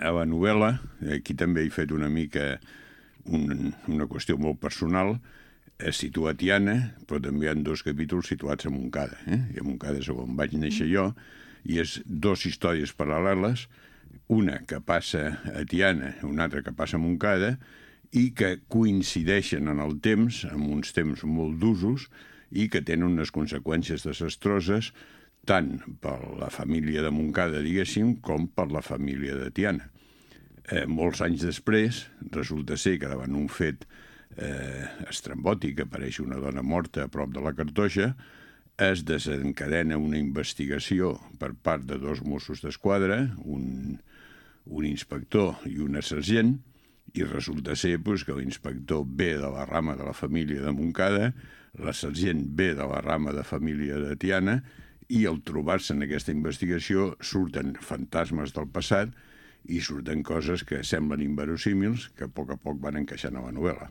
a la novel·la, aquí també he fet una mica una qüestió molt personal, es situa a Tiana, però també hi ha 2 capítols situats a Montcada. I a Montcada és on vaig néixer jo, i és 2 històries paral·leles, una que passa a Tiana, una altra que passa a Montcada, i que coincideixen en el temps, amb uns temps molt d'usos, i que tenen unes conseqüències desastroses tant per la família de Montcada, diguéssim, com per la família de Tiana. Molts anys després, resulta ser que davant un fet estrambòtic, que apareix una dona morta a prop de la Cartoixa, es desencadena una investigació per part de 2 Mossos d'Esquadra, un inspector i una sergent, i resulta ser que l'inspector ve de la rama de la família de Montcada, la sergent ve de la rama de família de Tiana, i al trobar-se en aquesta investigació surten fantasmes del passat i surten coses que semblen inverosímils que a poc van encaixant a la novel·la.